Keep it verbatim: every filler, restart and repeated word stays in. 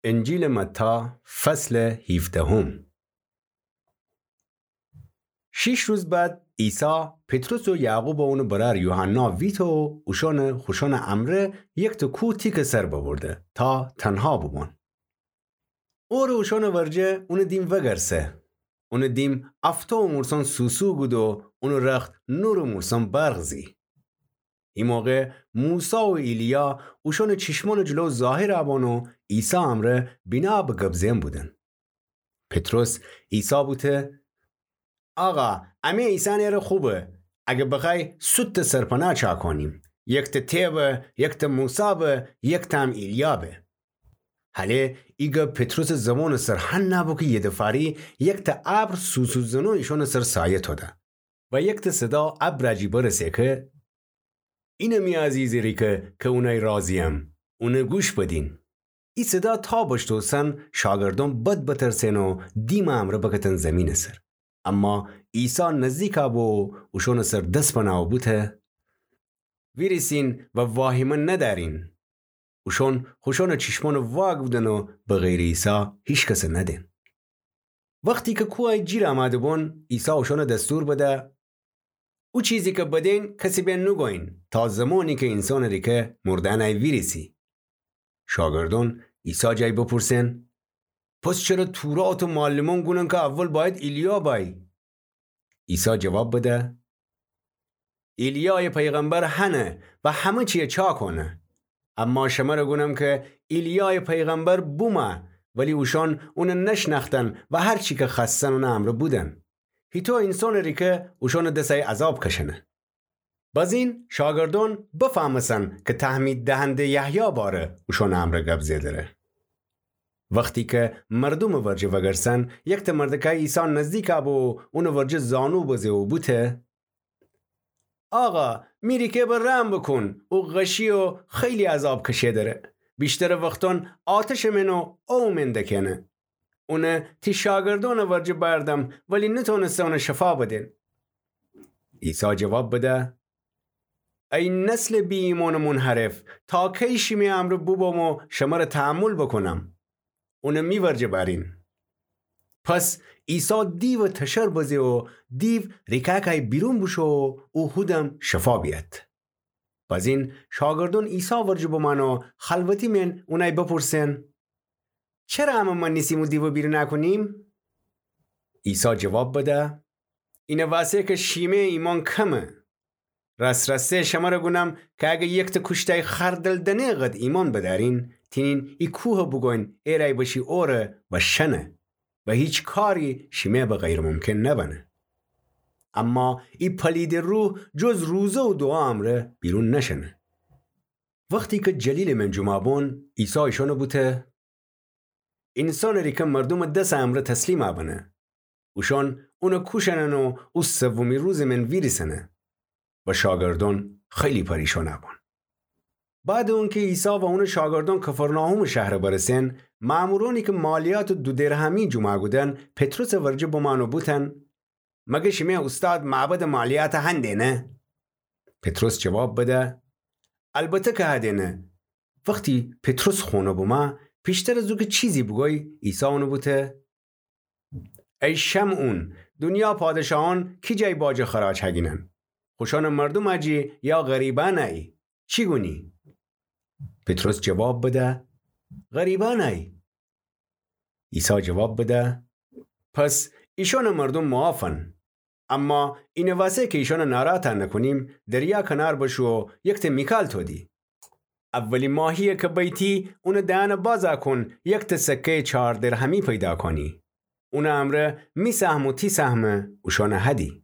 انجیلٚ متی، فصلٚ هیفدهم. شیش روز بعد عیسی پطرس و یعقوب و اونٚ برأر یوحنا ویته و اوشانٚ خوشانٚ امرأ یکتأ کوه تیکٚ سر ببرده تا تنها بوبون. اوره اوشانٚ ورجه اونٚ دیم وگرسه. اونٚ دیم افتو و مورسان سوسو گود و اونٚ رخت نور و مورسان برق زی. ای موقع موسی و ایلیا اوشانٚ چیشمانٚ جلو ظاهر بون و عیسی امرأ بینا به گب زئن بودن. پطرس عیسی بوته: آقا، امه ایسأن اره خوبه. اگه بخوأی سوتٚ سرپناه چا کونیم. یکتأ ته به، یکتأ موسی به، یکتأ هم ایلیا به. هله ای گب پطرسٚ زبانٚ سر هنه بو که یه دفاری یکتأ ابر سوسو زنو ایشانٚ سر سایه توده و یکتأ صدا ابرٚ جی برسه که: اینه می عزیزٚ ریکه که اونأی راضییم، اونه گوش بدین. ای صدا تا بشتوسن شاگردأن بد بترسئن و دیمٚ امرأ بکتن زیمینٚ سر. اما عیسی نزدیک بو و اوشانٚ سر دس بنه و بوته: ویریسین و واهیمه ندأرین. اوشان خوشانٚ چیشمأن واگودن و به غیرٚ عیسی هیکسه ندئن. وختی که کوهأی جیر امده بون، عیسی اوشان دستور بده: او چیزی که بدین کسی به نوگویین، تا زمانی که اینسانٚ ریکه مردأنٚ ویریسی. شاگردأن عیسی جای بپرسئن: پس چره تورات و معلمأن گونن که اول بأید ایلیا بأیه؟ عیسی جواب بده: ایلیایٚ پیغمبر هنه و همه چیه چا کونه. اما شمره گونم که ایلیایٚ پیغمبر بومه، ولی اوشان اونه نشنأختن و هر چی که خوأستن اونٚ امرأ بودن. هیطو اینسانٚ ریکه اوشانٚ دسأی عذاب کشنه. بزین شاگردأن بفهمسن که تهمید دهنده یحیی باره اوشانٚ امرأ گب زئدره. وختی که مردومٚ ورجه وگرسن، یکتأ مردکأی عیسی نزدیک بو و اونٚ ورجه زانو بزه و بوته: آقا، می ریکه به رحم بوکون، او غشی و خیلی عذاب کشئ دره. ویشترٚ وختأن آتشٚ مئن و اووٚ مئن دکئنه. اونه تی شاگردأنٚ ورجه بأردم، ولی نتأنسته اونه شفا بدن. عیسی جواب بده: ای نسلٚ بی‌ایمأنٚ منحرف، تا کی شیمه امرأ بوبم و شمره تحمل بوکونم؟ اونه می ورجه بأرین. پس عیسی دیوٚ تشر بزه و دیو ریکأکأی بیرون بوشو و او هودم شفا بیأد. بزین شاگردأن عیسی ورجه بمأن و خلوتی مئن اونأی بپرسئن: چره امه مأنیسیم او دیوٚ بیرون کونیم؟ عیسی جواب بده: اینه وأسه که شیمه ایمأن کمه. راس‌راسی شمره گونم که اگر یکتأ کوشتأی خردل دنه قد ایمأن بدأرین، تینین ای کوه بوگوین ایرأی بشی اوره و شنه و هیچ کاری شیمه به غیرٚ ممکن نبنه. اما ای پلیدٚ روح جز روزه و دوعا امرأ بیرون نشنه. وختی که جلیلٚ مئن جمعه بون، عیسی ایشأنه بوته: اینسانٚ ریکه مردومٚ دسٚ امرأ تسلیم بنه. اوشأن اونه کوشأنن و او سومی روزٚ مئن ویریسنه. و شاگردأن خیلی پریشان بون. بعدٚ اونکه عیسی و اونٚ شاگردأن کفرناحومٚ شهر برسن، مأمورأنی که مالیاتٚ دو درهمی جمعه کودن، پطرسٚ ورجه بمأن و بوتن: مگر شیمه اوستاد معبدٚ مالیات هندینه؟ پطرس جواب بده: البته که هدینه. وختی پطرس خونه بمه، پیشتر از او که چیزی بوگوی، عیسی اونه بوته: ای شمعون، دونیا پادشاهأن کی جای باج و خراج هگینن؟ خوشأنٚ مردومٚ جی یا غریبأنٚ ای؟ چی گونی؟ پطرس جواب بده: غریبأنٚ ای. عیسی جواب بده: پس ایشأنٚ مردوم معافن. اما اینٚ وأسه که ایشأنٚ ناراحت نکونیم، دریا کنار بشو و یکته میکال تودی. اولی ماهیی که بیتی، اونٚ دهنٚ بازا کون، یکته سکه‌یٚ چار درهمی پیدا کونی. اونٚ امرأ می سهم و تی سهم اوشأنٚ هدی.